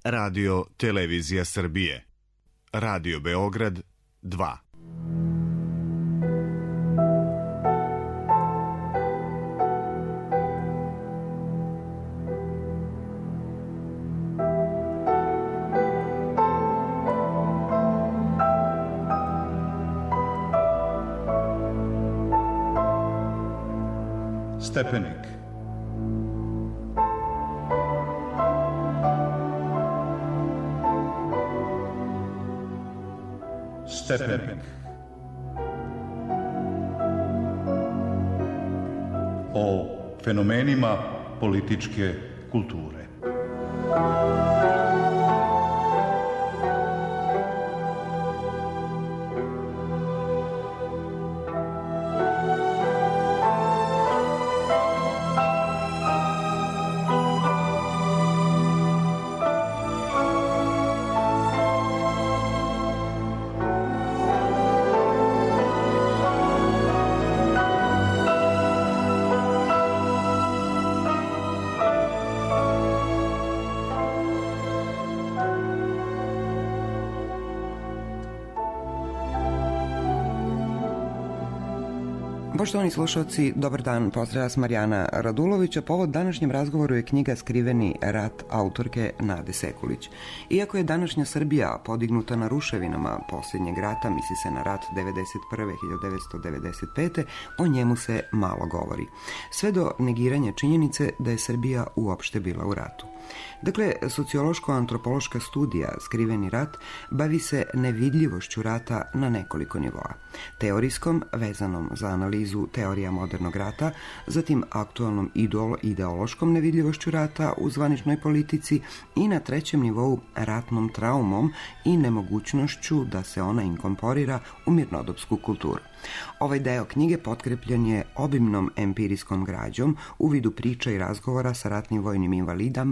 Radio Televizija Srbije. Radio Beograd 2. Stepenik. Stepenik. O fenomenima političke kulture. Poštovani slušalci, dobar dan, pozdravlja vas Marijana Radulovića. Povod današnjem razgovoru je knjiga Skriveni rat autorke Nade Sekulić. Iako je današnja Srbija podignuta na ruševinama posljednjeg rata, misli se na rat 1991-1995, o njemu se malo govori. Sve do negiranja činjenice da je Srbija uopšte bila u ratu. Dakle, sociološko-antropološka studija Skriveni rat bavi se nevidljivošću rata na nekoliko nivoa. Teorijskom, vezanom za analizu teorija modernog rata, zatim aktualnom ideološkom nevidljivošću rata u zvaničnoj politici i na trećem nivou ratnom traumom i nemogućnošću da se ona inkorporira u mirnodopsku kulturu. Ovaj deo knjige potkrepljen je obimnom empirijskom građom u vidu priča i razgovora sa ratnim vojnim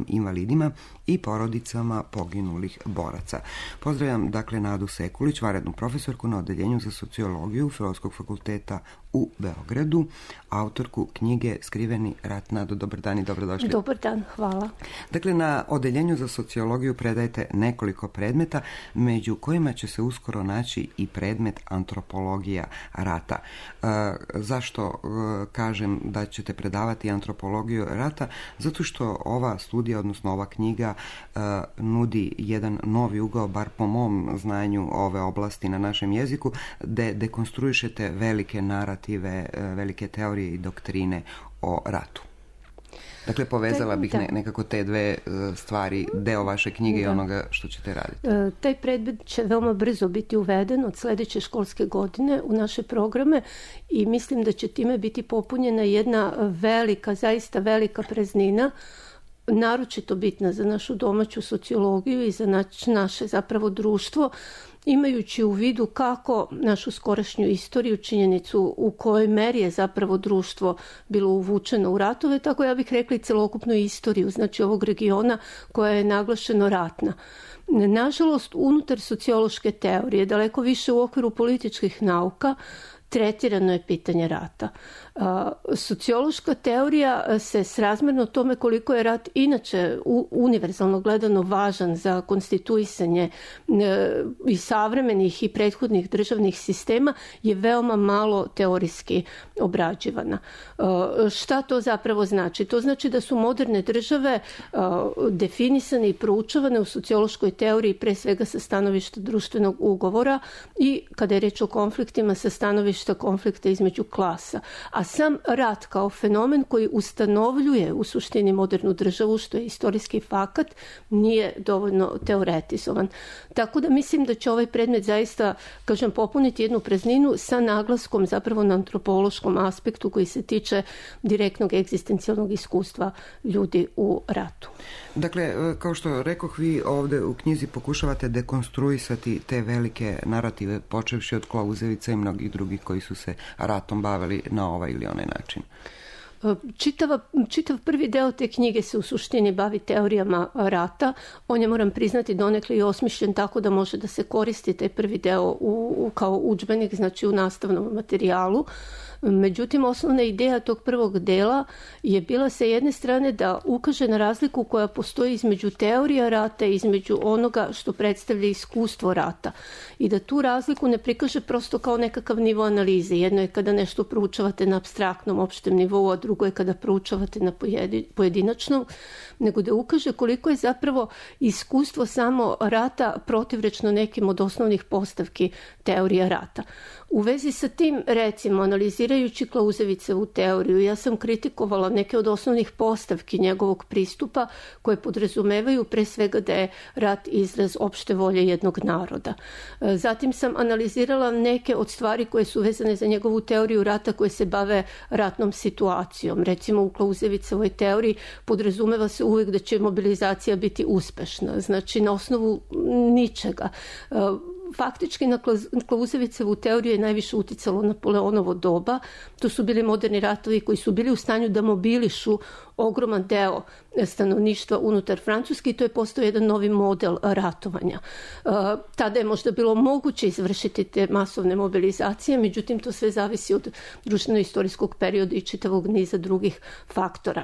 invalidima i porodicama poginulih boraca. Pozdravljam dakle Nadu Sekulić, vanrednu profesorku na Odeljenju za sociologiju Filozofskog fakulteta u Beogradu, autorku knjige Skriveni rat. Nado, dobar dan i dobrodošli. Dobar dan, hvala. Dakle, na Odeljenju za sociologiju predajete nekoliko predmeta, među kojima će se uskoro naći i predmet antropologija rata. Zašto kažem da ćete predavati antropologiju rata? Zato što ova studija, odnosno ova knjiga, nudi jedan novi ugao, bar po mom znanju ove oblasti na našem jeziku, gde dekonstruišete velike narative, velike teorije i doktrine o ratu. Dakle, povezala bih nekako te dve stvari, deo vaše knjige i onoga što ćete raditi. Taj predmet će veoma brzo biti uveden od sljedeće školske godine u naše programe i mislim da će time biti popunjena jedna velika, zaista velika praznina, naročito bitna za našu domaću sociologiju i za naše zapravo društvo, imajući u vidu kako našu skorašnju istoriju, činjenicu u kojoj meri je zapravo društvo bilo uvučeno u ratove, tako ja bih rekla i celokupnu istoriju, znači ovog regiona koja je naglašeno ratna. Nažalost, unutar sociološke teorije, daleko više u okviru političkih nauka, tretirano je pitanje rata. Sociološka teorija se srazmjerno tome koliko je rat inače univerzalno gledano važan za konstituisanje i savremenih i prethodnih državnih sistema je veoma malo teorijski obrađivana. Šta to zapravo znači? To znači da su moderne države definisane i proučavane u sociološkoj teoriji pre svega sa stanovišta društvenog ugovora i kada je reč o konfliktima sa stanovišta konflikta između klasa. A sam rat kao fenomen koji ustanovljuje u suštini modernu državu, što je istorijski fakat, nije dovoljno teoretizovan. Tako da mislim da će ovaj predmet zaista, kažem, popuniti jednu prazninu sa naglaskom zapravo na antropološkom aspektu koji se tiče direktnog egzistencijalnog iskustva ljudi u ratu. Dakle, kao što rekoh, vi ovdje u knjizi pokušavate dekonstruisati te velike narative, počevši od Klauzevica i mnogih drugih koji su se ratom bavili na ovaj ili onaj način. Čitav prvi deo te knjige se u suštini bavi teorijama rata. On je, moram priznati, donekle i osmišljen tako da može da se koristi taj prvi deo kao udžbenik, znači u nastavnom materijalu. Međutim, osnovna ideja tog prvog dela je bila sa jedne strane da ukaže na razliku koja postoji između teorija rata i između onoga što predstavlja iskustvo rata. I da tu razliku ne prikaže prosto kao nekakav nivo analize. Jedno je kada nešto proučavate na apstraktnom opštem nivou, a drugo je kada proučavate na pojedinačnom, nego da ukaže koliko je zapravo iskustvo samo rata protivrečno nekim od osnovnih postavki teorija rata. U vezi sa tim, recimo, analizirajući Klauzevićevu teoriju, ja sam kritikovala neke od osnovnih postavki njegovog pristupa koje podrazumevaju pre svega da je rat izraz opšte volje jednog naroda. Zatim sam analizirala neke od stvari koje su vezane za njegovu teoriju rata koje se bave ratnom situacijom. Recimo, u Klauzevićevoj teoriji podrazumeva se uvek da će mobilizacija biti uspešna, znači na osnovu ničega. Faktički na Klauzevićevu teoriju je najviše uticalo Napoleonovo doba. To su bili moderni ratovi koji su bili u stanju da mobilišu ogroman deo stanovništva unutar Francuske i to je postao jedan novi model ratovanja. Tada je možda bilo moguće izvršiti te masovne mobilizacije, međutim to sve zavisi od društveno-istorijskog perioda i čitavog niza drugih faktora.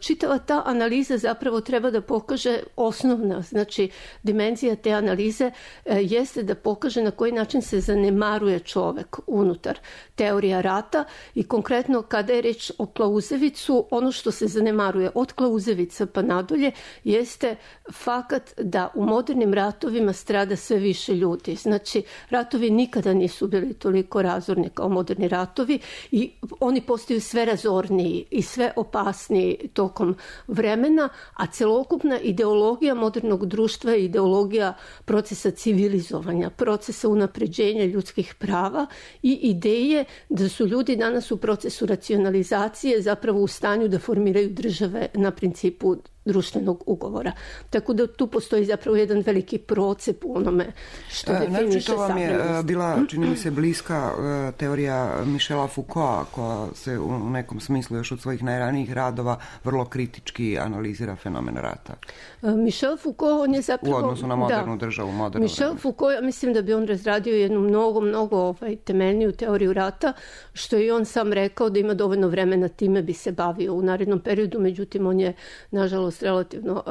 Čitava ta analiza zapravo treba da pokaže osnovna, znači dimenzija te analize jeste da pokaže na koji način se zanemaruje čovek unutar teorija rata i konkretno kada je reč o Klauzevicu, ono što se zanemaruje od Klauzevica pa nadolje jeste fakat da u modernim ratovima strada sve više ljudi. Znači, ratovi nikada nisu bili toliko razorni kao moderni ratovi i oni postaju sve razorniji i sve opasniji tokom vremena, a celokupna ideologija modernog društva je ideologija procesa civilizovanja, procesa unapređenja ljudskih prava i ideje da su ljudi danas u procesu racionalizacije zapravo u stanju da formiraju države na principu društvenog ugovora. Tako da tu postoji zapravo jedan veliki procep u onome što definiše savremenost. Vam je bila, čini mi se, bliska teorija Michela Foucaulta, koja se u nekom smislu još od svojih najranijih radova vrlo kritički analizira fenomen rata. Michel Foucault, on je zapravo... U odnosu na modernu državu, modernu Michel vremenu. Foucault, ja mislim da bi on razradio jednu mnogo temeljniju teoriju rata, što je on sam rekao da ima dovoljno vremena, time bi se bavio u narednom periodu, međutim on je, nažalost, relativno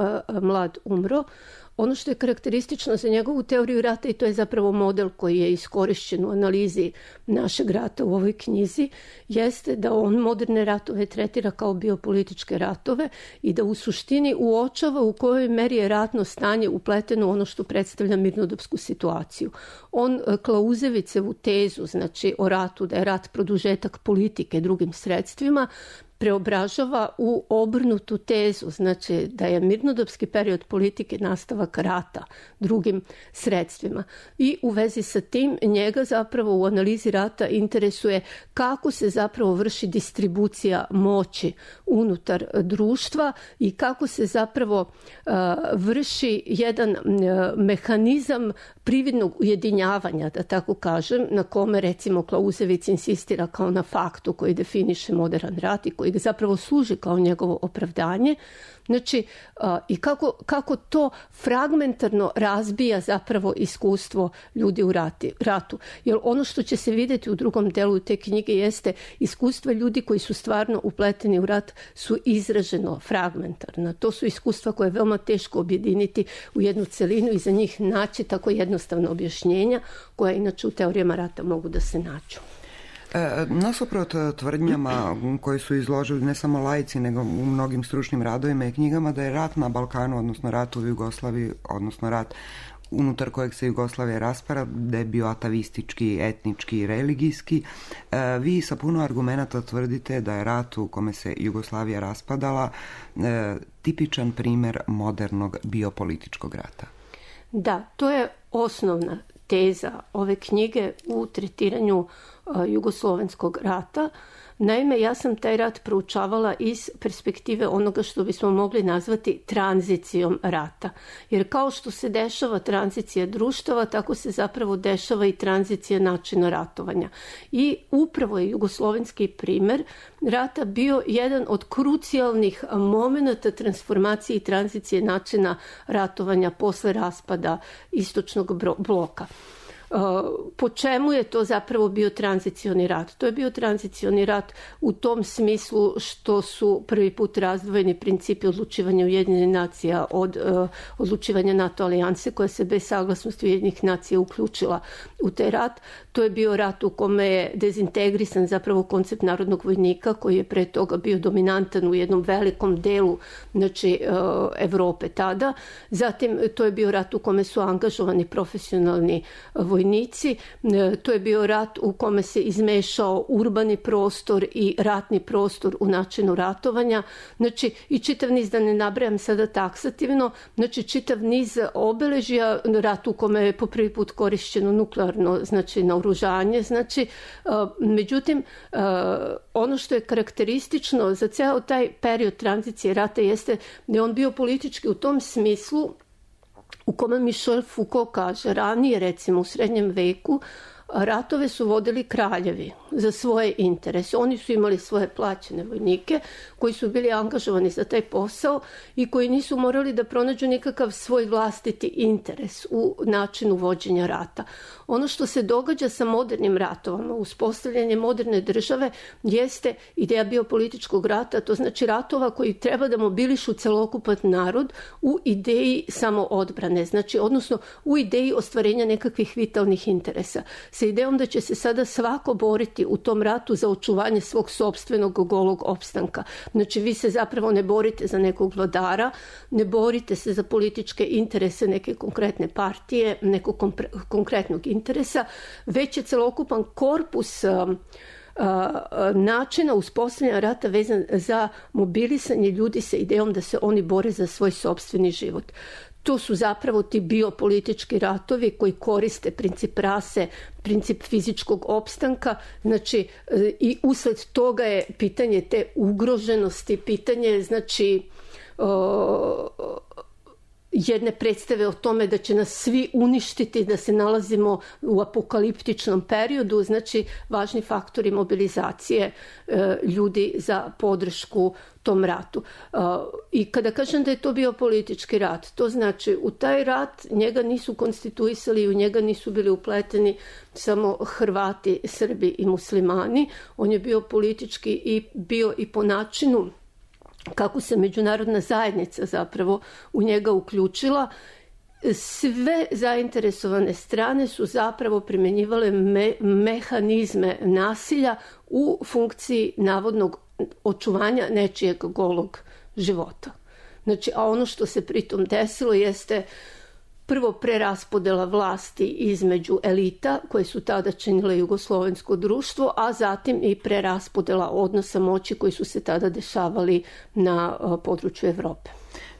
mlad umro. Ono što je karakteristično za njegovu teoriju rata, i to je zapravo model koji je iskorišćen u analizi našeg rata u ovoj knjizi, jeste da on moderne ratove tretira kao biopolitičke ratove i da u suštini uočava u kojoj meri je ratno stanje upleteno u ono što predstavlja mirnodopsku situaciju. On Klauzevićevu tezu, znači o ratu, da je rat produžetak politike drugim sredstvima, preobražava u obrnutu tezu, znači da je mirnodopski period politike nastavak rata drugim sredstvima. I u vezi sa tim njega zapravo u analizi rata interesuje kako se zapravo vrši distribucija moći unutar društva i kako se zapravo vrši jedan mehanizam prividnog ujedinjavanja, da tako kažem, na kome recimo Klauzević insistira kao na faktu koji definiše modern rat i koji zapravo služi kao njegovo opravdanje. Znači, i kako to fragmentarno razbija zapravo iskustvo ljudi u ratu. Jer ono što će se vidjeti u drugom delu te knjige jeste iskustva ljudi koji su stvarno upleteni u rat su izraženo fragmentarna. To su iskustva koje je veoma teško objediniti u jednu celinu i za njih naći tako jednostavno objašnjenja koja inače u teorijama rata mogu da se nađu. Nasuprot tvrdnjama koje su izložili ne samo laici, nego u mnogim stručnim radovima i knjigama da je rat na Balkanu, odnosno rat u Jugoslaviji, odnosno rat unutar kojeg se Jugoslavija raspara, da je bio atavistički, etnički i religijski. Vi sa puno argumenata tvrdite da je rat u kome se Jugoslavija raspadala tipičan primjer modernog biopolitičkog rata. Da, to je osnovna teza ove knjige u tretiranju Jugoslovenskog rata. Naime, ja sam taj rat proučavala iz perspektive onoga što bismo mogli nazvati tranzicijom rata. Jer kao što se dešava tranzicija društava, tako se zapravo dešava i tranzicija načina ratovanja. I upravo je jugoslovenski primer rata bio jedan od krucijalnih momenata transformacije i tranzicije načina ratovanja posle raspada istočnog bloka. Po čemu je to zapravo bio tranzicioni rat? To je bio tranzicioni rat u tom smislu što su prvi put razdvojeni principi odlučivanja Ujedinjenih nacija od odlučivanja NATO alijanse koja se bez saglasnosti Ujedinjenih nacija uključila u taj rat. To je bio rat u kome je dezintegrisan zapravo koncept narodnog vojnika koji je pre toga bio dominantan u jednom velikom delu Evrope tada. Zatim to je bio rat u kome su angažovani profesionalni vojnici. To je bio rat u kome se izmešao urbani prostor i ratni prostor u načinu ratovanja. Znači, i čitav niz, da ne nabrajam sada taksativno, znači čitav niz obeležja, rat u kome je po prvi put korišćeno nuklearno, znači naoružanje. Znači, međutim, ono što je karakteristično za ceo taj period tranzicije rata jeste da je on bio politički u tom smislu u kome Michel Foucault kaže, ranije recimo u srednjem veku, ratove su vodili kraljevi za svoje interese. Oni su imali svoje plaćene vojnike koji su bili angažovani za taj posao i koji nisu morali da pronađu nikakav svoj vlastiti interes u načinu vođenja rata. Ono što se događa sa modernim ratovama, uspostavljanje moderne države, jeste ideja biopolitičkog rata, to znači ratova koji treba da mobilišu celokupan narod u ideji samoodbrane, znači odnosno u ideji ostvarenja nekakvih vitalnih interesa. Sa idejom da će se sada svako boriti u tom ratu za očuvanje svog sopstvenog golog opstanka. Znači, vi se zapravo ne borite za nekog vladara, ne borite se za političke interese neke konkretne partije, nekog konkretnog interesa, već je celokupan korpus načina uspostavljanja rata vezan za mobilisanje ljudi sa idejom da se oni bore za svoj sopstveni život. To su zapravo ti biopolitički ratovi koji koriste princip rase, princip fizičkog opstanka, znači i usled toga je pitanje te ugroženosti, pitanje znači jedne predstave o tome da će nas svi uništiti, da se nalazimo u apokaliptičnom periodu, znači važni faktori mobilizacije ljudi za podršku tom ratu. I kada kažem da je to bio politički rat, to znači u taj rat njega nisu konstituisali i u njega nisu bili upleteni samo Hrvati, Srbi i muslimani. On je bio politički i bio i po načinu kako se međunarodna zajednica zapravo u njega uključila. Sve zainteresovane strane su zapravo primjenjivale mehanizme nasilja u funkciji navodnog očuvanja nečijeg golog života. Znači, a ono što se pritom desilo jeste prvo preraspodela vlasti između elita koje su tada činile jugoslovensko društvo, a zatim i preraspodela odnosa moći koji su se tada dešavali na području Evrope.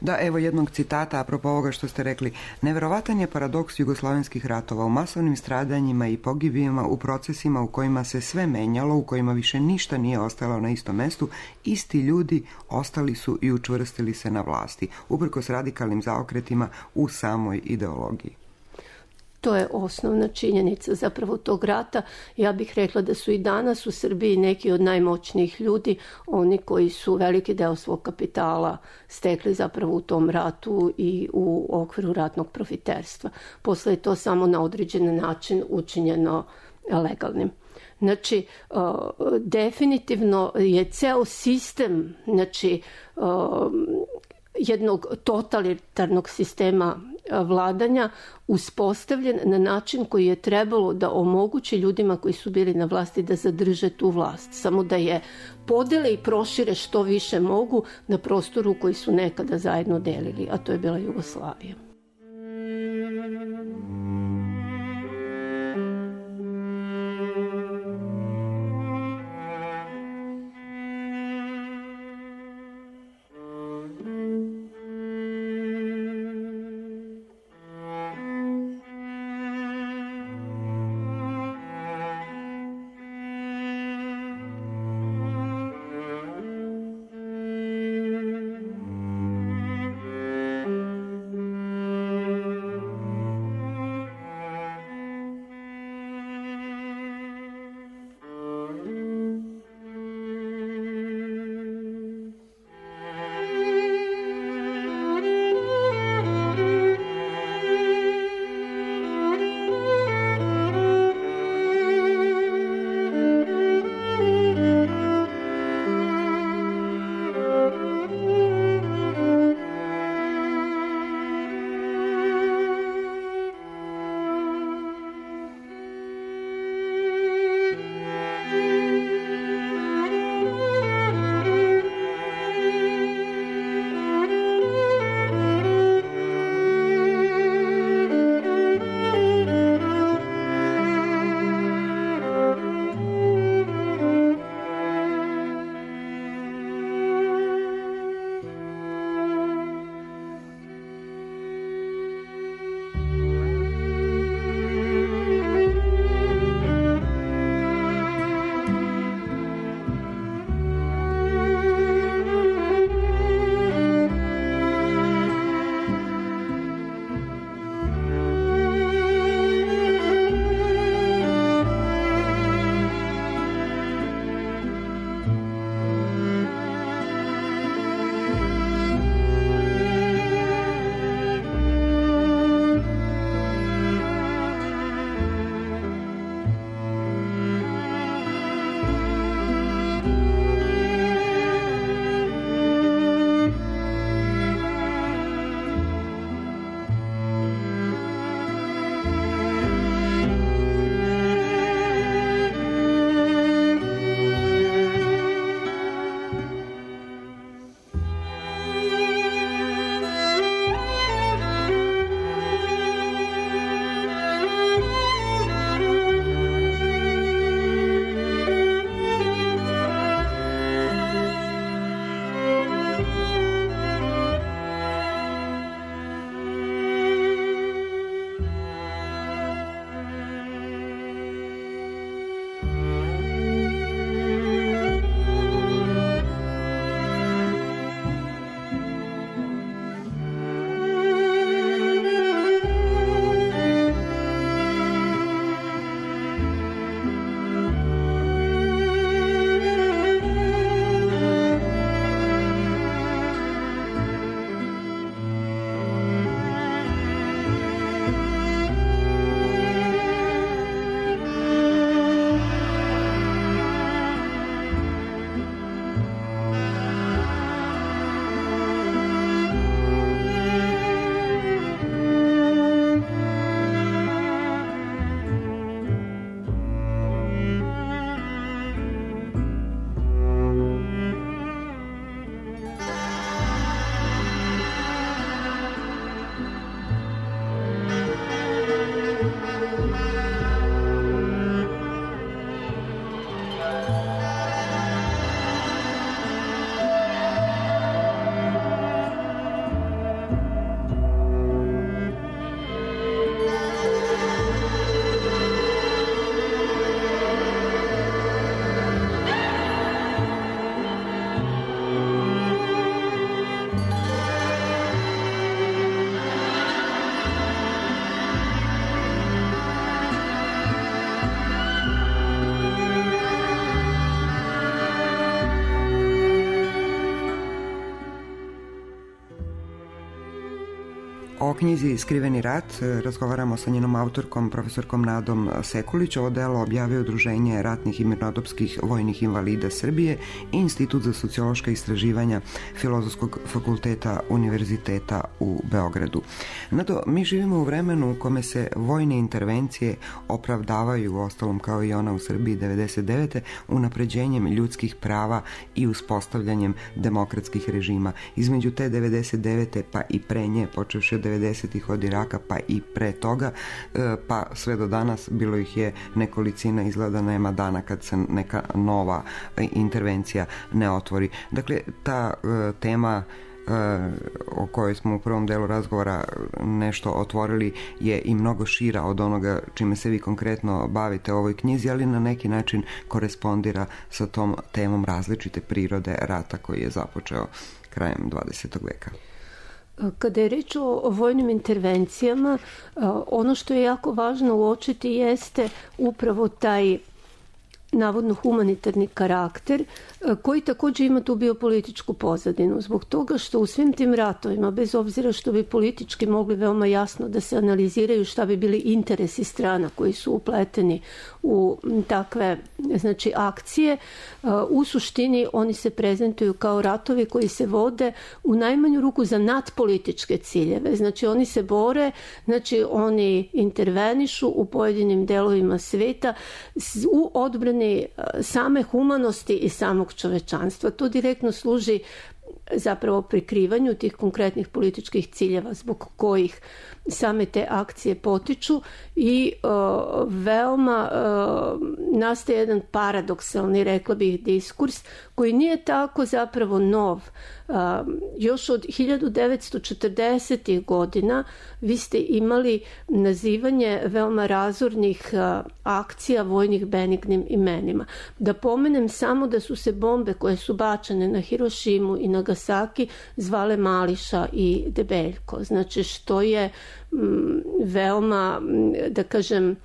Da, evo jednog citata apropo ovoga što ste rekli. Neverovatan je paradoks jugoslovenskih ratova u masovnim stradanjima i pogibijama, u procesima u kojima se sve menjalo, u kojima više ništa nije ostalo na istom mestu, isti ljudi ostali su i učvrstili se na vlasti, uprkos radikalnim zaokretima u samoj ideologiji. To je osnovna činjenica zapravo tog rata. Ja bih rekla da su i danas u Srbiji neki od najmoćnijih ljudi, oni koji su veliki deo svog kapitala stekli zapravo u tom ratu i u okviru ratnog profiterstva. Posle je to samo na određen način učinjeno legalnim. Znači, definitivno je ceo sistem, znači, jednog totalitarnog sistema vladanja uspostavljen na način koji je trebalo da omogući ljudima koji su bili na vlasti da zadrže tu vlast, samo da je podele i prošire što više mogu na prostoru koji su nekada zajedno delili, a to je bila Jugoslavija. O knjizi Skriveni rat razgovaramo sa njenom autorkom, profesorkom Nadom Sekulić. Ovo delo objavio Udruženje ratnih i mirnodopskih vojnih invalida Srbije i Institut za sociološka istraživanja Filozofskog fakulteta Univerziteta u Beogradu. Nado, mi živimo u vremenu u kome se vojne intervencije opravdavaju, ostalom kao i ona u Srbiji 99. unapređenjem ljudskih prava i uspostavljanjem demokratskih režima. Između te 99. pa i pre nje, počevši od 90-ih od Iraka pa i pre toga, pa sve do danas bilo ih je nekolicina, izgleda nema dana kad se neka nova intervencija ne otvori. Dakle, ta tema o kojoj smo u prvom delu razgovora nešto otvorili je i mnogo šira od onoga čime se vi konkretno bavite u ovoj knjizi, ali na neki način korespondira sa tom temom različite prirode rata koji je započeo krajem 20. veka. Kada je reč o vojnim intervencijama, ono što je jako važno uočiti jeste upravo taj navodno humanitarni karakter koji također ima tu biopolitičku pozadinu. Zbog toga što u svim tim ratovima, bez obzira što bi politički mogli veoma jasno da se analiziraju šta bi bili interesi strana koji su upleteni u takve akcije, u suštini oni se prezentuju kao ratovi koji se vode u najmanju ruku za nadpolitičke ciljeve. Znači oni se bore, oni intervenišu u pojedinim delovima sveta u odbrani same humanosti i samog čovečanstva. To direktno služi zapravo prikrivanju tih konkretnih političkih ciljeva zbog kojih same te akcije potiču i veoma nastaje jedan paradoksalni, rekla bih, diskurs koji nije tako zapravo nov. Još od 1940. godina vi ste imali nazivanje veoma razornih akcija vojnih benignim imenima. Da pomenem samo da su se bombe koje su bačene na Hirošimu i Nagasaki zvale Mališa i Debeljko. Znači što je veoma, da kažem,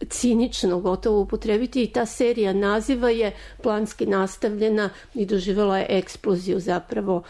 cinično gotovo upotrebiti, i ta serija naziva je planski nastavljena i doživjela je eksploziju zapravo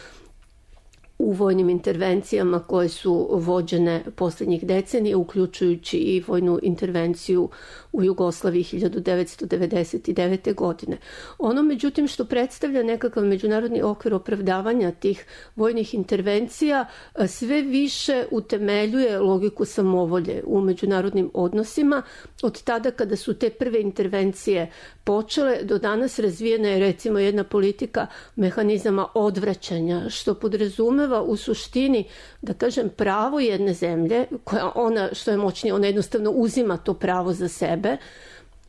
u vojnim intervencijama koje su vođene posljednjih decenija, uključujući i vojnu intervenciju u Jugoslaviji 1999. godine. Ono, međutim, što predstavlja nekakav međunarodni okvir opravdavanja tih vojnih intervencija, sve više utemeljuje logiku samovolje u međunarodnim odnosima. Od tada kada su te prve intervencije počele, do danas razvijena je recimo jedna politika mehanizama odvraćanja, što podrazumeva u suštini, da kažem, pravo jedne zemlje, koja ona, što je moćnije, ona jednostavno uzima to pravo za sebe,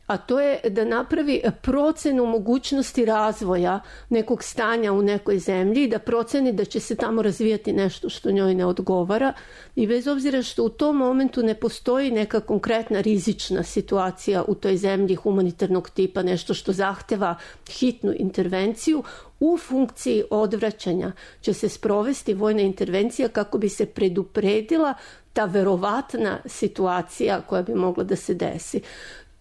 a to je da napravi procenu mogućnosti razvoja nekog stanja u nekoj zemlji i da proceni da će se tamo razvijati nešto što njoj ne odgovara, i bez obzira što u tom momentu ne postoji neka konkretna rizična situacija u toj zemlji humanitarnog tipa, nešto što zahteva hitnu intervenciju, u funkciji odvraćanja će se sprovesti vojna intervencija kako bi se predupredila ta verovatna situacija koja bi mogla da se desi.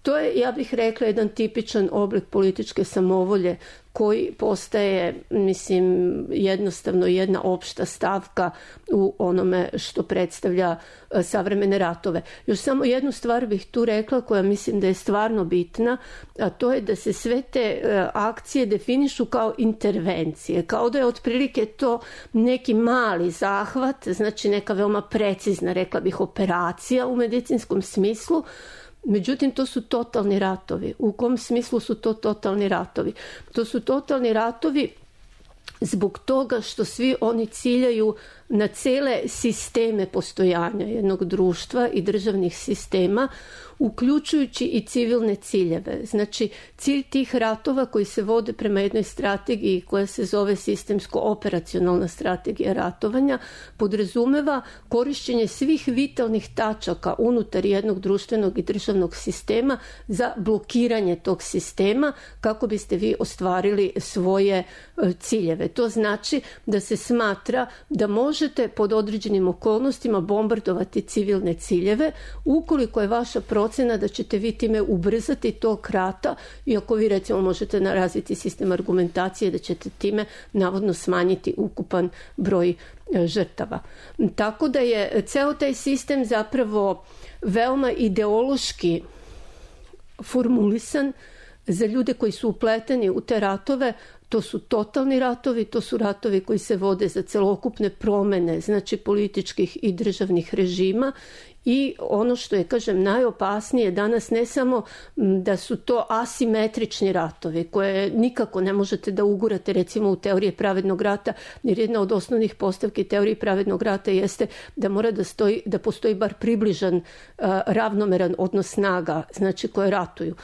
To je, ja bih rekla, jedan tipičan oblik političke samovolje koji postaje, mislim, jednostavno jedna opšta stavka u onome što predstavlja savremene ratove. Još samo jednu stvar bih tu rekla koja mislim da je stvarno bitna, a to je da se sve te akcije definišu kao intervencije, kao da je otprilike to neki mali zahvat, znači neka veoma precizna, rekla bih, operacija u medicinskom smislu. Međutim, to su totalni ratovi. U kom smislu su to totalni ratovi? To su totalni ratovi zbog toga što svi oni ciljaju na cele sisteme postojanja jednog društva i državnih sistema, uključujući i civilne ciljeve. Znači, cilj tih ratova koji se vode prema jednoj strategiji koja se zove sistemsko-operacionalna strategija ratovanja podrazumeva korišćenje svih vitalnih tačaka unutar jednog društvenog i državnog sistema za blokiranje tog sistema kako biste vi ostvarili svoje ciljeve. To znači da se smatra da može možete pod određenim okolnostima bombardovati civilne ciljeve ukoliko je vaša procena da ćete vi time ubrzati tok rata, iako vi recimo možete razviti sistem argumentacije da ćete time navodno smanjiti ukupan broj žrtava. Tako da je ceo taj sistem zapravo veoma ideološki formulisan za ljude koji su upleteni u te ratove. To su totalni ratovi, to su ratovi koji se vode za celokupne promene, znači političkih i državnih režima. I ono što je, kažem, najopasnije danas ne samo da su to asimetrični ratovi koje nikako ne možete da ugurate recimo u teorije pravednog rata, jer jedna od osnovnih postavki teorije pravednog rata jeste da mora da postoji bar približan ravnomeran odnos snaga, znači koje ratuju.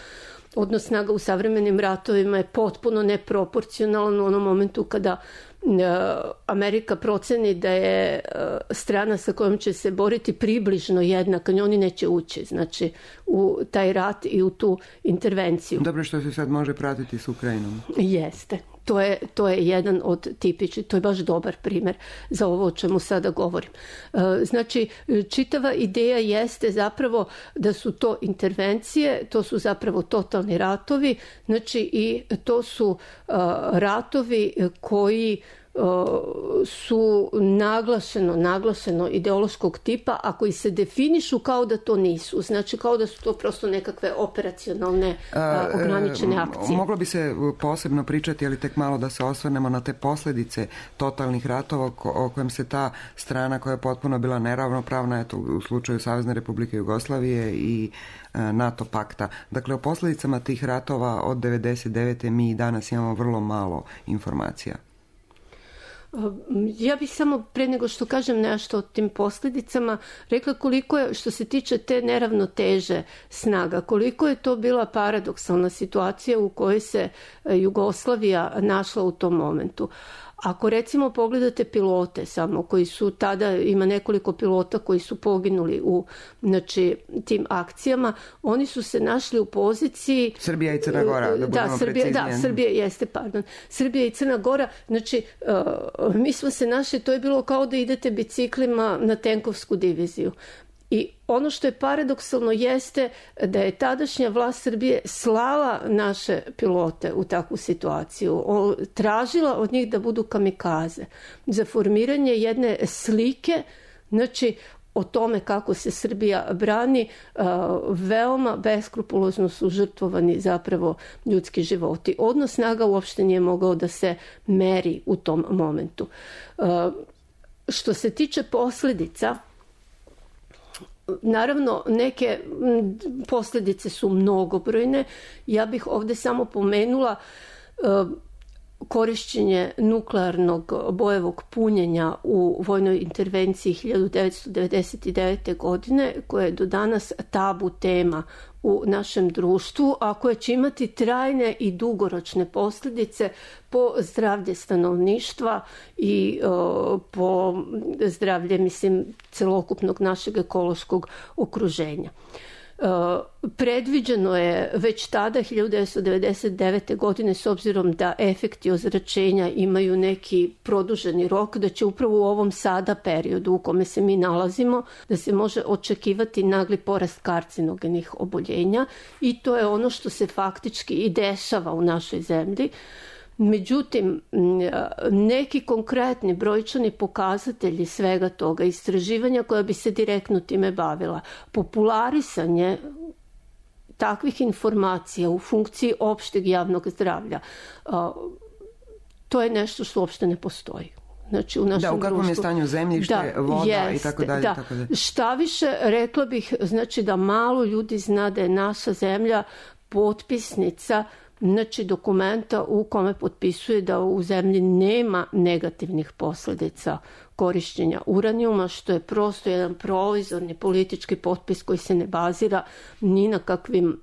Odnos snaga u savremenim ratovima je potpuno neproporcionalan u onom momentu kada Amerika proceni da je strana sa kojom će se boriti približno jednaka, oni neće ući, znači, u taj rat i u tu intervenciju. Dobro, što se sad može pratiti s Ukrajinom. Jeste. To je jedan od tipičnih, to je baš dobar primjer za ovo o čemu sada govorim. Znači, čitava ideja jeste zapravo da su to intervencije, to su zapravo totalni ratovi, znači i to su ratovi koji su naglašeno ideološkog tipa, a koji se definišu kao da to nisu. Znači kao da su to prosto nekakve operacionalne ograničene akcije. Moglo bi se posebno pričati, ali tek malo da se osvrnemo na te posljedice totalnih ratova o kojem se ta strana koja je potpuno bila neravnopravna, eto, u slučaju Savezne Republike Jugoslavije i NATO pakta. Dakle, o posljedicama tih ratova od 1999. mi danas imamo vrlo malo informacija. Ja bih samo pre nego što kažem nešto o tim posljedicama rekla koliko je, što se tiče te neravnoteže snaga, koliko je to bila paradoksalna situacija u kojoj se Jugoslavija našla u tom momentu. Ako recimo pogledate pilote samo koji su tada, ima nekoliko pilota koji su poginuli u tim akcijama, oni su se našli u poziciji Srbija i Crna Gora, da budemo preciznije. Srbija i Crna Gora, znači mi smo se našli, to je bilo kao da idete biciklima na tenkovsku diviziju. I ono što je paradoksalno jeste da je tadašnja vlast Srbije slala naše pilote u takvu situaciju, tražila od njih da budu kamikaze za formiranje jedne slike, znači o tome kako se Srbija brani, veoma beskrupulozno su žrtvovani zapravo ljudski životi. Odnos snaga uopšte nije mogao da se meri u tom momentu. Što se tiče posljedica, naravno, neke posljedice su mnogobrojne. Ja bih ovdje samo pomenula korišćenje nuklearnog bojevog punjenja u vojnoj intervenciji 1999. godine, koja je do danas tabu tema u našem društvu, a koje će imati trajne i dugoročne posljedice po zdravlje stanovništva i po zdravlje, celokupnog našeg ekološkog okruženja. Predviđeno je već tada 1999. godine, s obzirom da efekti ozračenja imaju neki produženi rok, da će upravo u ovom sada periodu u kome se mi nalazimo da se može očekivati nagli porast karcinogenih oboljenja, i to je ono što se faktički i dešava u našoj zemlji. Međutim, neki konkretni brojčani pokazatelji svega toga, istraživanja koja bi se direktno time bavila, popularisanje takvih informacija u funkciji opšteg javnog zdravlja, to je nešto što uopšte ne postoji. Znači, u našem u kakvom je stanju zemljište, voda i tako dalje. Šta više, rekla bih, znači da malo ljudi zna da je naša zemlja potpisnica, znači dokumenta u kome potpisuje da u zemlji nema negativnih posljedica korištenja uranijuma, što je prosto jedan provizorni politički potpis koji se ne bazira ni na kakvim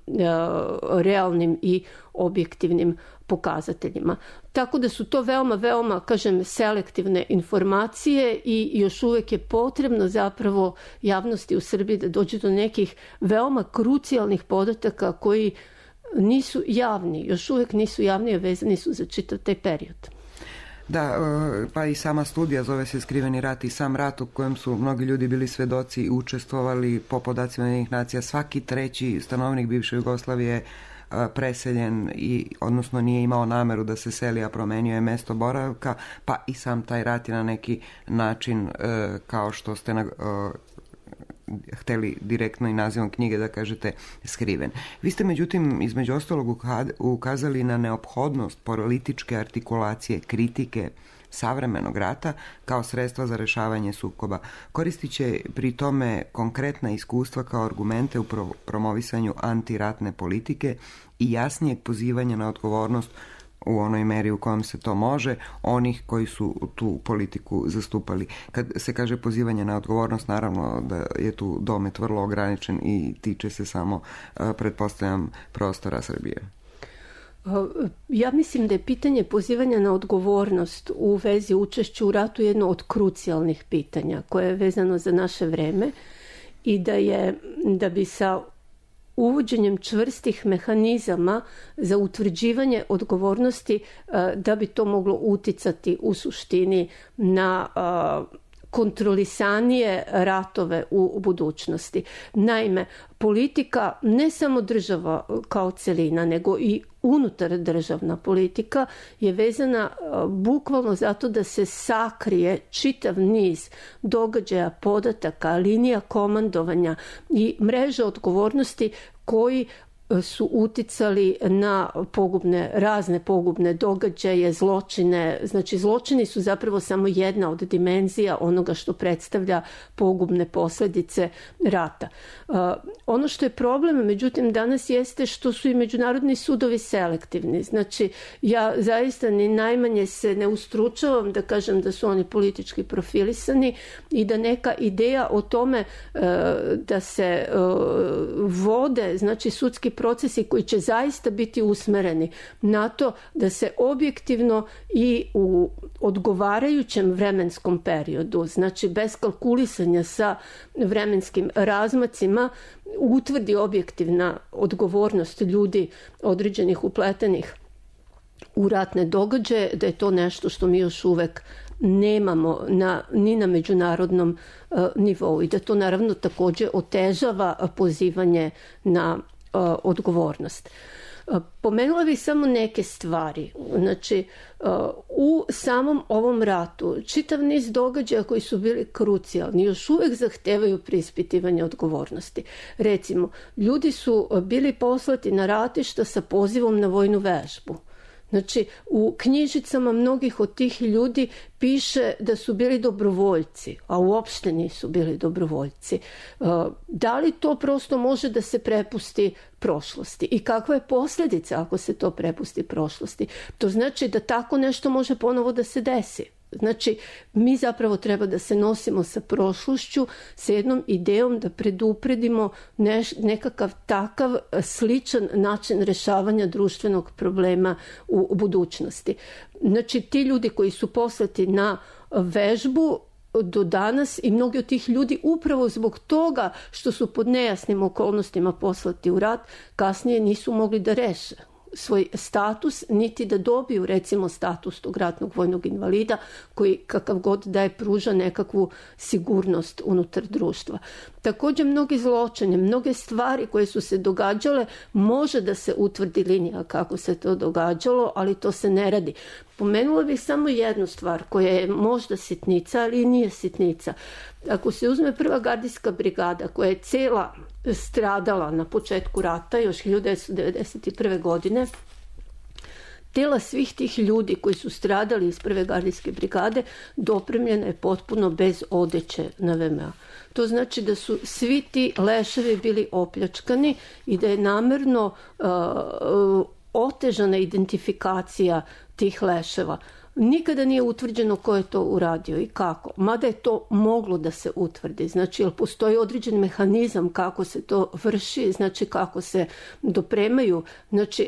realnim i objektivnim pokazateljima. Tako da su to veoma, kažem, selektivne informacije i još uvijek je potrebno zapravo javnosti u Srbiji da dođe do nekih veoma krucijalnih podataka koji nisu javni, još uvijek nisu javni, a vezani su za čitav taj period. Da, pa i sama studija zove se Skriveni rat i sam rat u kojem su mnogi ljudi bili svedoci i učestvovali. Po podacima Ujedinjenih nacija svaki treći stanovnik bivše Jugoslavije preseljen i odnosno nije imao nameru da se seli, a promenio je mesto boravka, pa i sam taj rat je na neki način, kao što ste hteli direktno i nazivom knjige da kažete, skriven. Vi ste međutim između ostalog ukazali na neophodnost političke artikulacije, kritike savremenog rata kao sredstva za rešavanje sukoba. Koristit će pri tome konkretna iskustva kao argumente u promovisanju antiratne politike i jasnijeg pozivanja na odgovornost u onoj meri u kojem se to može, onih koji su tu politiku zastupali. Kad se kaže pozivanje na odgovornost, naravno da je tu domet vrlo ograničen i tiče se samo, pretpostavljam, prostora Srbije. Ja mislim da je pitanje pozivanja na odgovornost u vezi učešću u ratu jedno od krucijalnih pitanja koje je vezano za naše vreme i da bi sa uvođenjem čvrstih mehanizama za utvrđivanje odgovornosti, da bi to moglo uticati u suštini na kontrolisanije ratove u budućnosti. Naime, politika, ne samo država kao celina, nego i unutar državna politika je vezana bukvalno zato da se sakrije čitav niz događaja, podataka, linija komandovanja i mreža odgovornosti koji su uticali na razne pogubne događaje, zločine. Znači, zločini su zapravo samo jedna od dimenzija onoga što predstavlja pogubne posljedice rata. Ono što je problem, međutim, danas jeste što su i međunarodni sudovi selektivni. Znači, ja zaista ni najmanje se ne ustručavam da kažem da su oni politički profilisani i da neka ideja o tome da se vode, znači, sudski procesi koji će zaista biti usmereni na to da se objektivno i u odgovarajućem vremenskom periodu, znači bez kalkulisanja sa vremenskim razmacima, utvrdi objektivna odgovornost ljudi određenih upletenih u ratne događaje, da je to nešto što mi još uvek nemamo ni na međunarodnom nivou i da to naravno također otežava pozivanje na odgovornost. Pomenula bih samo neke stvari. Znači, u samom ovom ratu čitav niz događaja koji su bili krucijalni još uvijek zahtevaju preispitivanje odgovornosti. Recimo, ljudi su bili poslati na ratišta sa pozivom na vojnu vežbu. Znači, u knjižicama mnogih od tih ljudi piše da su bili dobrovoljci, a uopšte nisu bili dobrovoljci. Da li to prosto može da se prepusti prošlosti? I kakva je posljedica ako se to prepusti prošlosti? To znači da tako nešto može ponovo da se desi. Znači, mi zapravo treba da se nosimo sa prošlošću, sa jednom idejom da predupredimo nekakav takav sličan način rešavanja društvenog problema u budućnosti. Znači, ti ljudi koji su poslati na vežbu do danas i mnogi od tih ljudi upravo zbog toga što su pod nejasnim okolnostima poslati u rat, kasnije nisu mogli da reše svoj status, niti da dobiju recimo status tog ratnog vojnog invalida koji kakav god da je pruža nekakvu sigurnost unutar društva. Također mnogi zločini, mnoge stvari koje su se događale, može da se utvrdi linija kako se to događalo, ali to se ne radi. Pomenula bih samo jednu stvar koja je možda sitnica, ali nije sitnica. Ako se uzme prva gardijska brigada koja je cela stradala na početku rata, još 1991. godine, tela svih tih ljudi koji su stradali iz prve gardijske brigade dopremljena je potpuno bez odeće na VMA. To znači da su svi ti leševi bili opljačkani i da je namerno otežana identifikacija tih leševa. Nikada nije utvrđeno ko je to uradio i kako. Mada je to moglo da se utvrdi. Znači, jel postoji određen mehanizam kako se to vrši, znači kako se dopremaju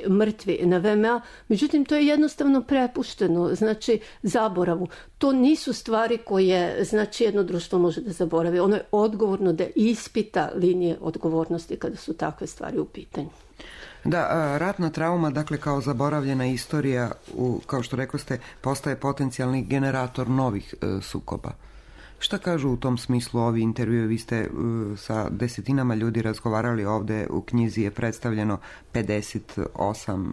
mrtvi na VMA. Međutim, to je jednostavno prepušteno, znači zaboravu. To nisu stvari koje, znači, jedno društvo može da zaboravi. Ono je odgovorno da ispita linije odgovornosti kada su takve stvari u pitanju. Da, ratna trauma, dakle kao zaboravljena istorija, kao što rekoste, postaje potencijalni generator novih sukoba. Šta kažu u tom smislu ovi intervjui? Vi ste sa desetinama ljudi razgovarali ovde, u knjizi je predstavljeno 58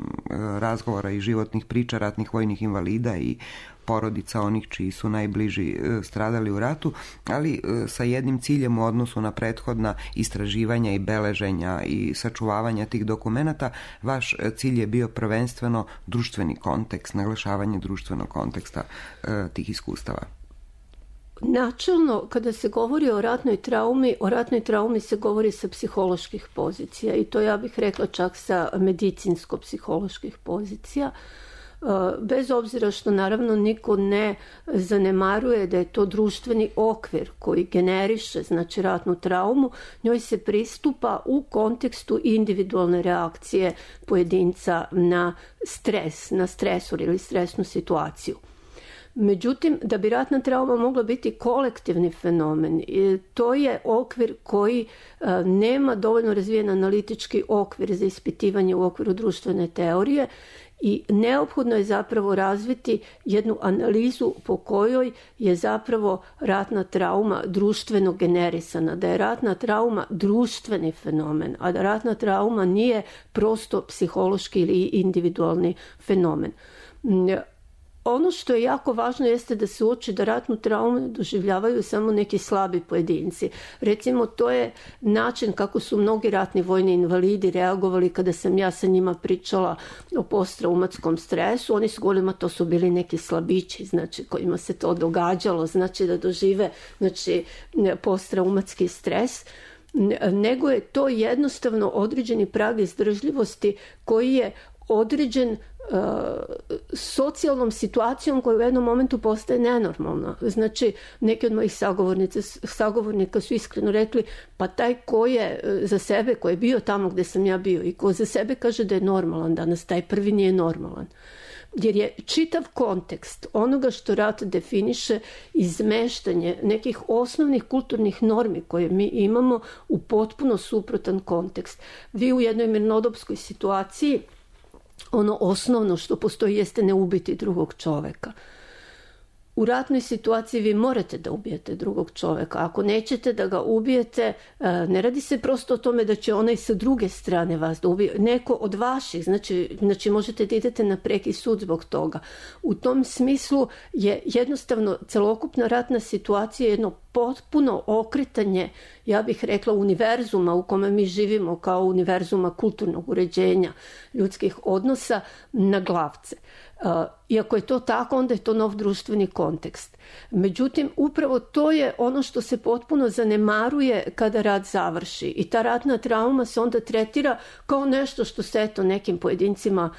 razgovora i životnih priča ratnih vojnih invalida i porodica onih čiji su najbliži stradali u ratu, ali sa jednim ciljem u odnosu na prethodna istraživanja i beleženja i sačuvavanja tih dokumenata. Vaš cilj je bio prvenstveno društveni kontekst, naglašavanje društvenog konteksta tih iskustava. Načelno, kada se govori o ratnoj traumi se govori sa psiholoških pozicija i to ja bih rekla čak sa medicinsko-psiholoških pozicija. Bez obzira što naravno niko ne zanemaruje da je to društveni okvir koji generiše, znači ratnu traumu, njoj se pristupa u kontekstu individualne reakcije pojedinca na stres, na stresor ili stresnu situaciju. Međutim, da bi ratna trauma mogla biti kolektivni fenomen, to je okvir koji nema dovoljno razvijen analitički okvir za ispitivanje u okviru društvene teorije i neophodno je zapravo razviti jednu analizu po kojoj je zapravo ratna trauma društveno generisana, da je ratna trauma društveni fenomen, a da ratna trauma nije prosto psihološki ili individualni fenomen. Ono što je jako važno jeste da se uoči da ratnu traumu doživljavaju samo neki slabi pojedinci. Recimo, to je način kako su mnogi ratni vojni invalidi reagovali kada sam ja sa njima pričala o posttraumatskom stresu. Oni su govorili, to su bili neki slabići, znači kojima se to događalo, znači da dožive posttraumatski stres, nego je to jednostavno određeni prag izdržljivosti koji je određen socijalnom situacijom koja u jednom momentu postaje nenormalna. Znači, neki od mojih sagovornika su iskreno rekli, pa taj ko je za sebe, ko je bio tamo gde sam ja bio i ko za sebe kaže da je normalan danas, taj prvi nije normalan. Jer je čitav kontekst onoga što rat definiše izmeštanje nekih osnovnih kulturnih normi koje mi imamo u potpuno suprotan kontekst. Vi u jednoj mirnodopskoj situaciji ono osnovno što postoji jeste ne ubiti drugog čoveka. U ratnoj situaciji vi morate da ubijete drugog čoveka. Ako nećete da ga ubijete, ne radi se prosto o tome da će onaj sa druge strane vas da ubije. Neko od vaših, znači možete da idete na preki sud zbog toga. U tom smislu je jednostavno celokupna ratna situacija jedno potpuno okretanje, ja bih rekla, univerzuma u kome mi živimo kao univerzuma kulturnog uređenja ljudskih odnosa na glavce. Iako je to tako, onda je to nov društveni kontekst. Međutim, upravo to je ono što se potpuno zanemaruje kada rat završi. I ta ratna trauma se onda tretira kao nešto što se eto nekim pojedincima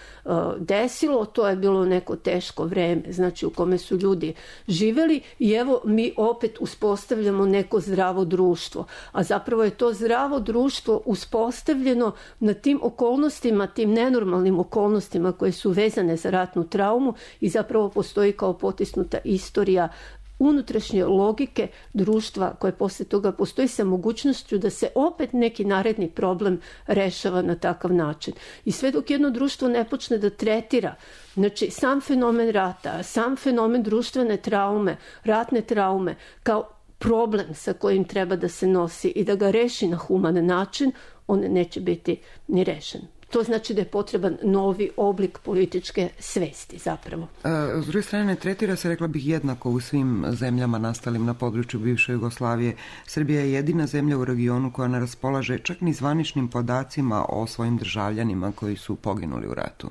desilo. To je bilo neko teško vreme, znači u kome su ljudi živeli i evo mi opet uspostavljamo neko zdravo društvo. A zapravo je to zdravo društvo uspostavljeno na tim okolnostima, tim nenormalnim okolnostima koje su vezane za ratnu traumu i zapravo postoji kao potisnuta istorija unutrašnje logike društva koje posle toga postoji sa mogućnošću da se opet neki naredni problem rešava na takav način. I sve dok jedno društvo ne počne da tretira, znači sam fenomen rata, sam fenomen društvene traume, ratne traume kao problem sa kojim treba da se nosi i da ga reši na human način, on neće biti ni rešen. To znači da je potreban novi oblik političke svesti zapravo. S druge strane, ne tretira se, rekla bih, jednako u svim zemljama nastalim na području bivše Jugoslavije. Srbija je jedina zemlja u regionu koja ne raspolaže čak ni zvaničnim podacima o svojim državljanima koji su poginuli u ratu.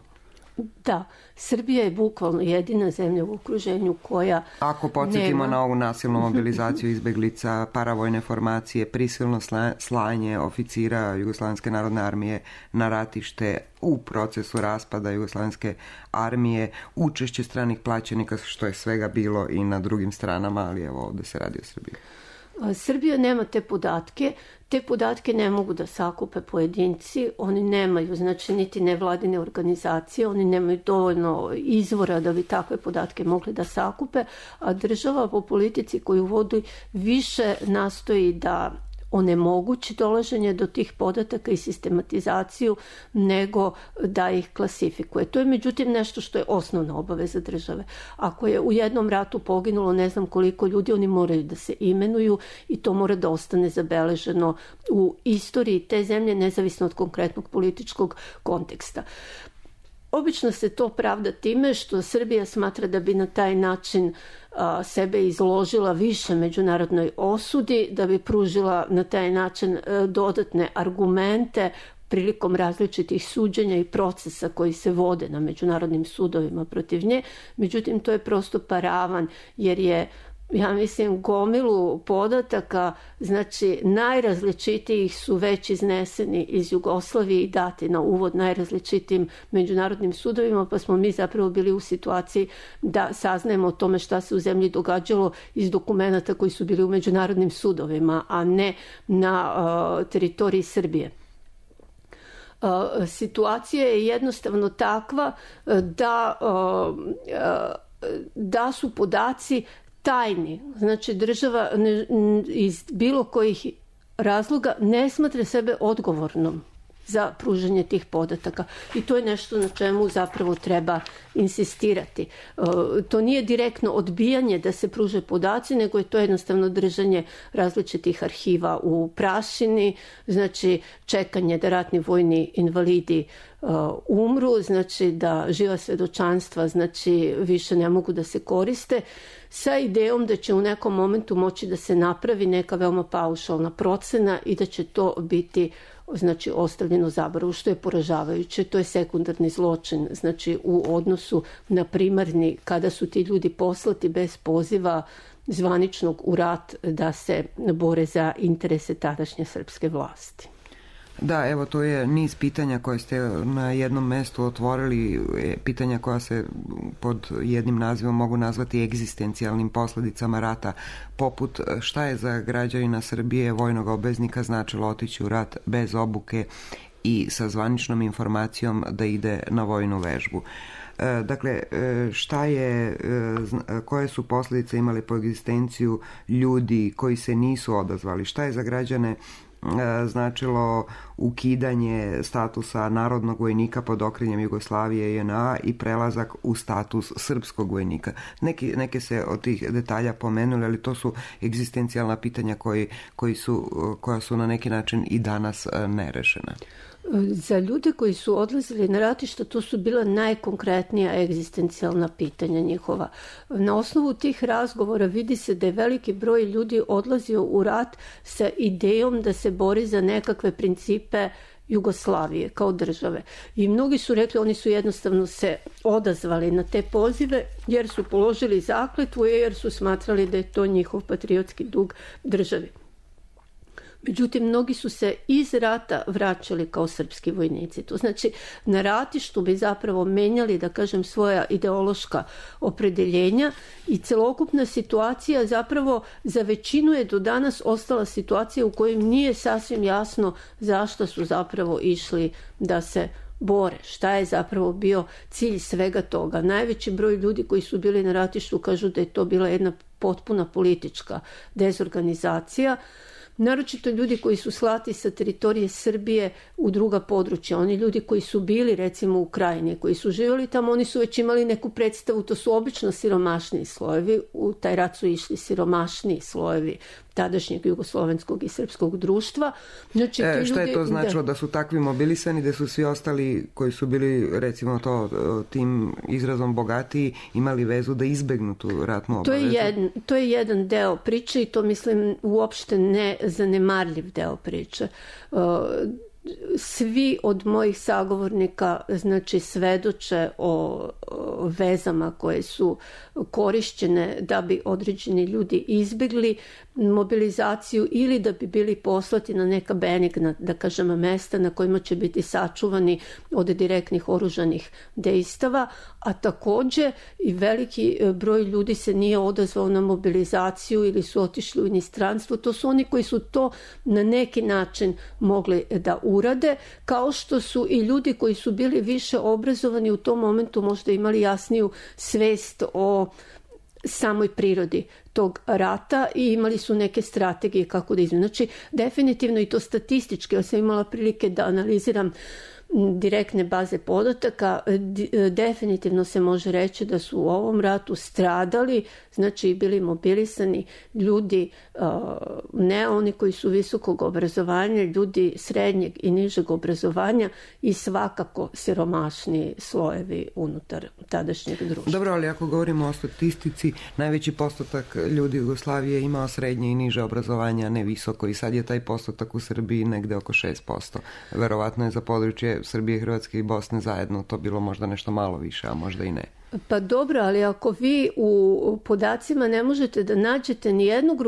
Da, Srbija je bukvalno jedina zemlja u okruženju koja ako podsjetimo na ovu nasilnu mobilizaciju izbeglica, paravojne formacije, prisilno slanje oficira Jugoslovenske narodne armije na ratište u procesu raspada Jugoslovenske armije, učešće stranih plaćenika, što je svega bilo i na drugim stranama, ali evo ovde se radi o Srbiji. Srbija nema te podatke ne mogu da sakupe pojedinci, oni nemaju, znači niti nevladine organizacije, oni nemaju dovoljno izvora da bi takve podatke mogli da sakupe, a država po politici koju vodi više nastoji da onemogući dolaženje do tih podataka i sistematizaciju, nego da ih klasifikuje. To je međutim nešto što je osnovna obaveza države. Ako je u jednom ratu poginulo ne znam koliko ljudi, oni moraju da se imenuju i to mora da ostane zabeleženo u istoriji te zemlje, nezavisno od konkretnog političkog konteksta. Obično se to pravda time što Srbija smatra da bi na taj način sebe izložila više međunarodnoj osudi, da bi pružila na taj način dodatne argumente prilikom različitih suđenja i procesa koji se vode na međunarodnim sudovima protiv nje. Međutim, to je prosto paravan, jer je, ja mislim, gomilu podataka, znači najrazličitijih su već izneseni iz Jugoslavije i dati na uvod najrazličitijim međunarodnim sudovima, pa smo mi zapravo bili u situaciji da saznajemo o tome šta se u zemlji događalo iz dokumenata koji su bili u međunarodnim sudovima, a ne na teritoriji Srbije. Situacija je jednostavno takva da su podaci tajni. Znači država iz bilo kojih razloga ne smatra sebe odgovornom za pružanje tih podataka. I to je nešto na čemu zapravo treba insistirati. To nije direktno odbijanje da se pruže podaci, nego je to jednostavno držanje različitih arhiva u prašini, znači čekanje da ratni vojni invalidi umru, znači da živa svedočanstva znači više ne mogu da se koriste, sa idejom da će u nekom momentu moći da se napravi neka veoma paušalna procena i da će to biti znači ostavljeno zaboravu, što je poražavajuće. To je sekundarni zločin, znači u odnosu na primarni, kada su ti ljudi poslati bez poziva zvaničnog u rat da se bore za interese tadašnje srpske vlasti. Da, evo, to je niz pitanja koje ste na jednom mestu otvorili, pitanja koja se pod jednim nazivom mogu nazvati egzistencijalnim posljedicama rata, poput šta je za građanina Srbije vojnog obveznika značilo otići u rat bez obuke i sa zvaničnom informacijom da ide na vojnu vežbu. Dakle, koje su posljedice imali po egzistenciju ljudi koji se nisu odazvali? Šta je za građane značilo ukidanje statusa narodnog vojnika pod okriljem Jugoslavije i JNA i prelazak u status srpskog vojnika? Neke se od tih detalja pomenuli, ali to su egzistencijalna pitanja koja su na neki način i danas nerešena. Za ljude koji su odlazili na ratišta, to su bila najkonkretnija egzistencijalna pitanja njihova. Na osnovu tih razgovora vidi se da je veliki broj ljudi odlazio u rat sa idejom da se bori za nekakve principe Jugoslavije kao države. I mnogi su rekli, oni su jednostavno se odazvali na te pozive jer su položili zakletvu i jer su smatrali da je to njihov patriotski dug državi. Međutim, mnogi su se iz rata vraćali kao srpski vojnici. To znači, na ratištu bi zapravo menjali, da kažem, svoja ideološka opredeljenja i celokupna situacija zapravo za većinu je do danas ostala situacija u kojoj nije sasvim jasno zašto su zapravo išli da se bore. Šta je zapravo bio cilj svega toga? Najveći broj ljudi koji su bili na ratištu kažu da je to bila jedna potpuna politička dezorganizacija. Naročito ljudi koji su slati sa teritorije Srbije u druga područja. Oni ljudi koji su bili recimo u Krajini, koji su živjeli tamo, oni su već imali neku predstavu, to su obično siromašniji slojevi. U taj rat su išli siromašniji slojevi tadašnjeg jugoslovenskog i srpskog društva. Znači, šta je to značilo da su takvi mobilisani, da su svi ostali koji su bili recimo tim izrazom bogatiji imali vezu da izbegnu tu ratnu obavezu? To je jedan deo priče i to mislim uopšte ne zanemarljiv deo priče. Svi od mojih sagovornika znači svedoče o vezama koje su korišćene da bi određeni ljudi izbjegli mobilizaciju ili da bi bili poslati na neka benigna, da kažem, mesta na kojima će biti sačuvani od direktnih oružanih dejstava, a također i veliki broj ljudi se nije odazvao na mobilizaciju ili su otišli u inostranstvo. To su oni koji su to na neki način mogli da urade, kao što su i ljudi koji su bili više obrazovani u tom momentu možda imali jasniju svest o samoj prirodi tog rata i imali su neke strategije kako da izmene. Znači, definitivno i to statistički, ja sam imala prilike da analiziram direktne baze podataka, definitivno se može reći da su u ovom ratu stradali, znači bili mobilisani ljudi, ne oni koji su visokog obrazovanja, ljudi srednjeg i nižeg obrazovanja i svakako siromašni slojevi unutar tadašnjeg društva. Dobro, ali ako govorimo o statistici, najveći postotak ljudi Jugoslavije imao srednje i niže obrazovanja, ne visoko, i sad je taj postotak u Srbiji negde oko 6%. Verovatno je za područje Srbije, Hrvatske i Bosne zajedno to bilo možda nešto malo više, a možda i ne. Pa dobro, ali ako vi u podacima ne možete da nađete ni jednog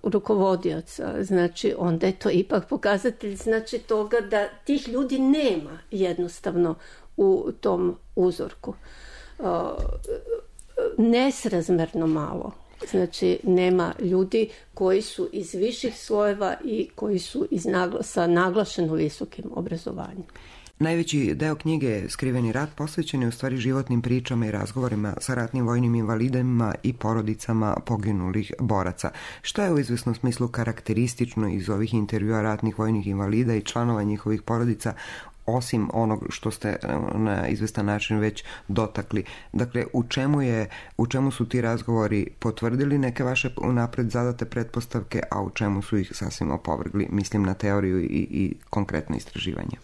rukovodioca, znači onda je to ipak pokazatelj znači toga da tih ljudi nema jednostavno u tom uzorku. Nesrazmerno malo. Znači, nema ljudi koji su iz viših slojeva i koji su sa naglašeno visokim obrazovanjem. Najveći deo knjige Skriveni rat posvećen je u stvari životnim pričama i razgovorima sa ratnim vojnim invalidima i porodicama poginulih boraca. Šta je u izvesnom smislu karakteristično iz ovih intervjua ratnih vojnih invalida i članova njihovih porodica, osim onog što ste na izvestan način već dotakli? Dakle, u čemu su ti razgovori potvrdili neke vaše unapred zadate pretpostavke, a u čemu su ih sasvim opovrgli? Mislim na teoriju i konkretno istraživanje.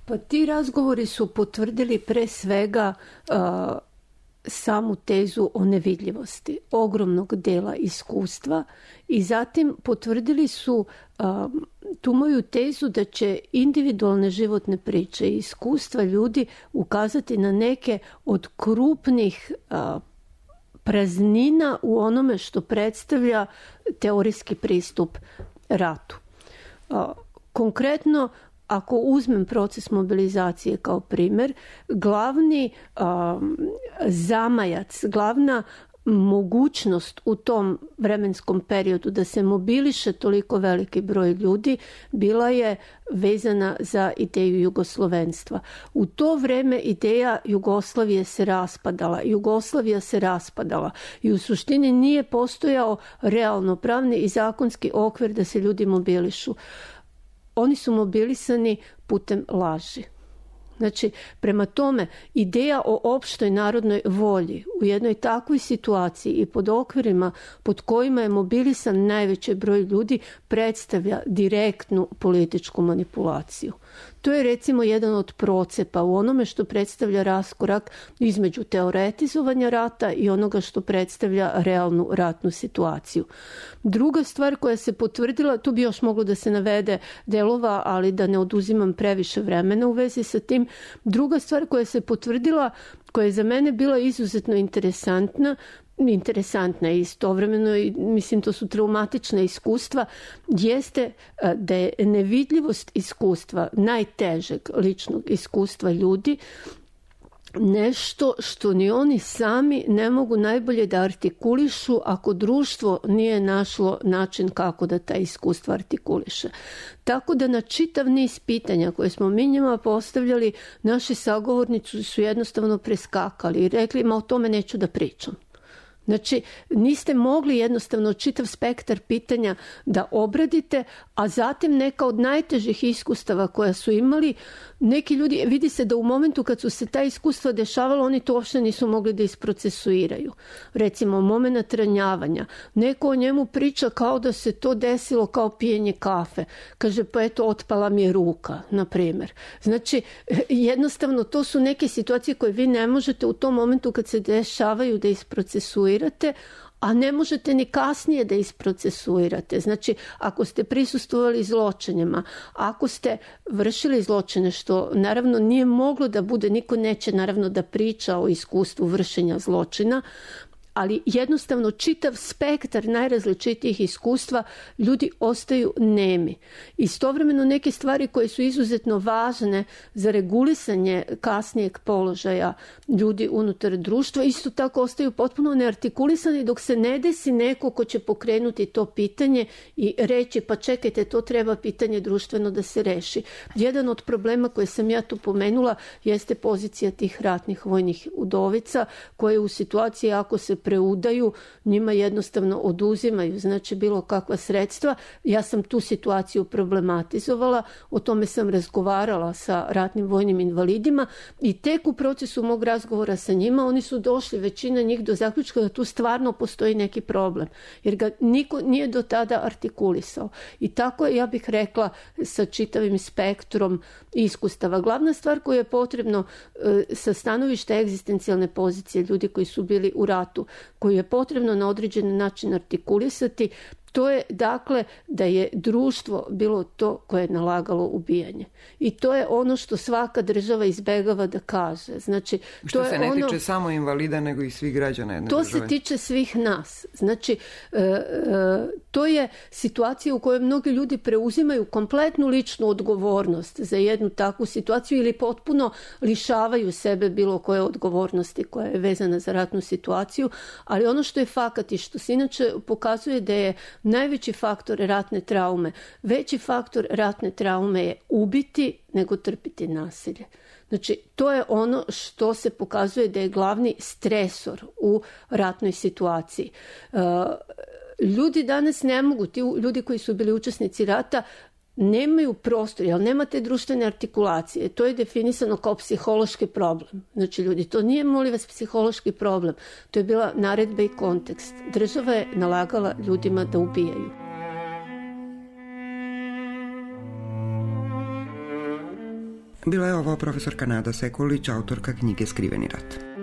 Pa ti razgovori su potvrdili pre svega samu tezu o nevidljivosti ogromnog dela iskustva i zatim potvrdili su tu moju tezu da će individualne životne priče i iskustva ljudi ukazati na neke od krupnih praznina u onome što predstavlja teorijski pristup ratu. Konkretno, ako uzmem proces mobilizacije kao primjer, glavni zamajac, glavna mogućnost u tom vremenskom periodu da se mobiliše toliko veliki broj ljudi bila je vezana za ideju jugoslovenstva. U to vreme ideja Jugoslavije se raspadala. Jugoslavija se raspadala i u suštini nije postojao realno pravni i zakonski okvir da se ljudi mobilišu. Oni su mobilisani putem laži. Znači, prema tome, ideja o opštoj narodnoj volji u jednoj takvoj situaciji i pod okvirima pod kojima je mobilisan najveći broj ljudi predstavlja direktnu političku manipulaciju. To je recimo jedan od procepa u onome što predstavlja raskorak između teoretizovanja rata i onoga što predstavlja realnu ratnu situaciju. Druga stvar koja se potvrdila, tu bi još moglo da se navede delova, ali da ne oduzimam previše vremena u vezi sa tim. Druga stvar koja se potvrdila, koja je za mene bila izuzetno interesantna i istovremeno, i mislim to su traumatična iskustva, jeste da je nevidljivost iskustva, najtežeg ličnog iskustva ljudi, nešto što ni oni sami ne mogu najbolje da artikulišu ako društvo nije našlo način kako da ta iskustva artikuliše. Tako da na čitav niz pitanja koje smo mi njima postavljali, naši sagovornici su jednostavno preskakali i rekli, ma o tome neću da pričam. Znači, niste mogli jednostavno čitav spektar pitanja da obradite, a zatim neka od najtežih iskustava koja su imali, neki ljudi, vidi se da u momentu kad su se ta iskustva dešavala, oni to uopšte nisu mogli da isprocesuiraju. Recimo, moment ranjavanja. Neko o njemu priča kao da se to desilo kao pijenje kafe. Kaže, pa eto, otpala mi je ruka, na primjer. Znači, jednostavno, to su neke situacije koje vi ne možete u tom momentu kad se dešavaju da isprocesuirate, a ne možete ni kasnije da isprocesuirate. Znači, ako ste prisustvovali zločinima, ako ste vršili zločine, što naravno nije moglo da bude, niko neće naravno da priča o iskustvu vršenja zločina, ali jednostavno čitav spektar najrazličitijih iskustva, ljudi ostaju nemi. Istovremeno neke stvari koje su izuzetno važne za regulisanje kasnijeg položaja ljudi unutar društva, isto tako ostaju potpuno neartikulisani dok se ne desi neko ko će pokrenuti to pitanje i reći, pa čekajte, to treba pitanje društveno da se reši. Jedan od problema koje sam ja tu pomenula jeste pozicija tih ratnih vojnih udovica koje u situaciji ako se preudaju, njima jednostavno oduzimaju, znači bilo kakva sredstva. Ja sam tu situaciju problematizovala, o tome sam razgovarala sa ratnim vojnim invalidima i tek u procesu mog razgovora sa njima oni su došli, većina njih, do zaključka da tu stvarno postoji neki problem, jer ga niko nije do tada artikulisao. I tako je, ja bih rekla, sa čitavim spektrom iskustava. Glavna stvar koju je potrebno sa stanovišta egzistencijalne pozicije ljudi koji su bili u ratu, koju je potrebno na određen način artikulisati, to je dakle da je društvo bilo to koje je nalagalo ubijanje. I to je ono što svaka država izbegava da kaže. Znači, što to se ne tiče samo invalida, nego i svih građana jedne države. To se tiče svih nas. Znači, to je situacija u kojoj mnogi ljudi preuzimaju kompletnu ličnu odgovornost za jednu takvu situaciju ili potpuno lišavaju sebe bilo koje odgovornosti koja je vezana za ratnu situaciju, ali ono što je fakat i što se inače pokazuje da je najveći faktor ratne traume, veći faktor ratne traume je ubiti nego trpiti nasilje. Znači, to je ono što se pokazuje da je glavni stresor u ratnoj situaciji. Ljudi danas ne mogu, ti ljudi koji su bili učesnici rata, nemaju prostor, jer nema te društvene artikulacije. To je definisano kao psihološki problem. Znači, ljudi, to nije, molim vas, psihološki problem. To je bila naredba i kontekst. Država je nalagala ljudima da ubijaju. Bila je ovo profesorka Nada Sekulić, autorka knjige Skriveni rat.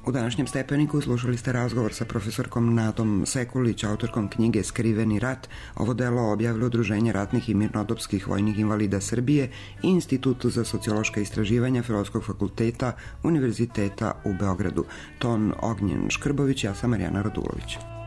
U današnjem Stepeniku slušali ste razgovor sa profesorkom Nadom Sekulić, autorkom knjige Skriveni rat. Ovo delo objavilo Udruženje ratnih i mirnodopskih vojnih invalida Srbije i Institutu za sociološka istraživanja Filozofskog fakulteta Univerziteta u Beogradu. Ton Ognjen Škrbović, ja sam Marijana Radulović.